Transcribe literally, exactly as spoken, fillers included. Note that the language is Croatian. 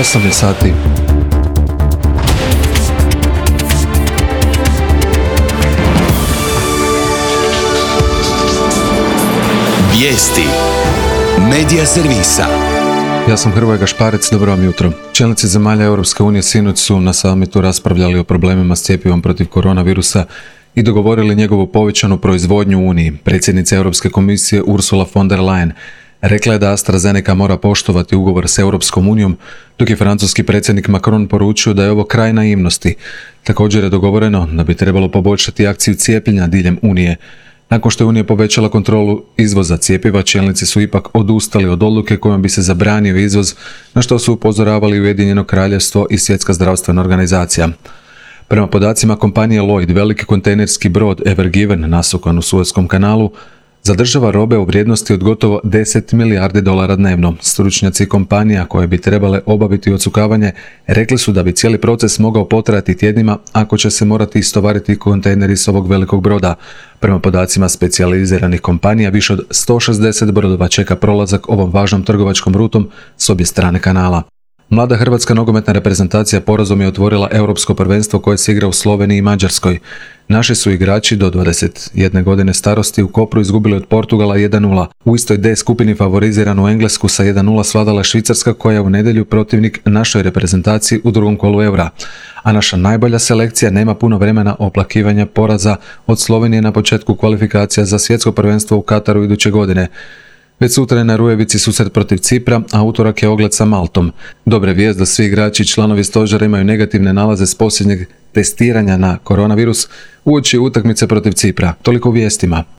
osam je sati. Vijesti Medija servisa. Ja sam Hrvoje Gašparec, dobro vam jutro. Čelnici zemalja Europske unije sinoć su na samitu raspravljali o problemima s cjepivom protiv koronavirusa i dogovorili njegovu povećanu proizvodnju u Uniji. Predsjednica Europske komisije Ursula von der Leyen rekla je da AstraZeneca mora poštovati ugovor s Europskom unijom, dok je francuski predsjednik Macron poručio da je ovo kraj naivnosti. Također je dogovoreno da bi trebalo poboljšati akciju cijepljenja diljem Unije. Nakon što je Unija povećala kontrolu izvoza cjepiva, čelnici su ipak odustali od odluke kojom bi se zabranio izvoz, na što su upozoravali Ujedinjeno Kraljevstvo i Svjetska zdravstvena organizacija. Prema podacima kompanije Lloyd, veliki kontejnerski brod Ever Given nasukan u Suezkom kanalu zadržava robe u vrijednosti od gotovo deset milijardi dolara dnevno. Stručnjaci kompanija koje bi trebale obaviti odsukavanje rekli su da bi cijeli proces mogao potrajati tjednima ako će se morati istovariti kontejneri s ovog velikog broda. Prema podacima specijaliziranih kompanija, više od sto šezdeset brodova čeka prolazak ovom važnom trgovačkom rutom s obje strane kanala. Mlada hrvatska nogometna reprezentacija porazom je otvorila europsko prvenstvo koje se igra u Sloveniji i Mađarskoj. Naši su igrači do dvadeset jedne godine starosti u Kopru izgubili od Portugala jedan nula. U istoj D skupini favoriziranu Englesku sa jedan nula svladala Švicarska, koja je u nedjelju protivnik našoj reprezentaciji u drugom kolu Eura. A naša najbolja selekcija nema puno vremena oplakivanja poraza od Slovenije na početku kvalifikacija za svjetsko prvenstvo u Kataru iduće godine. Već sutra je na Rujevici susret protiv Cipra, a utorak je ogled sa Maltom. Dobre vijest da svi igrači i članovi stožera imaju negativne nalaze s posljednjeg testiranja na koronavirus uoči utakmice protiv Cipra. Toliko u vijestima.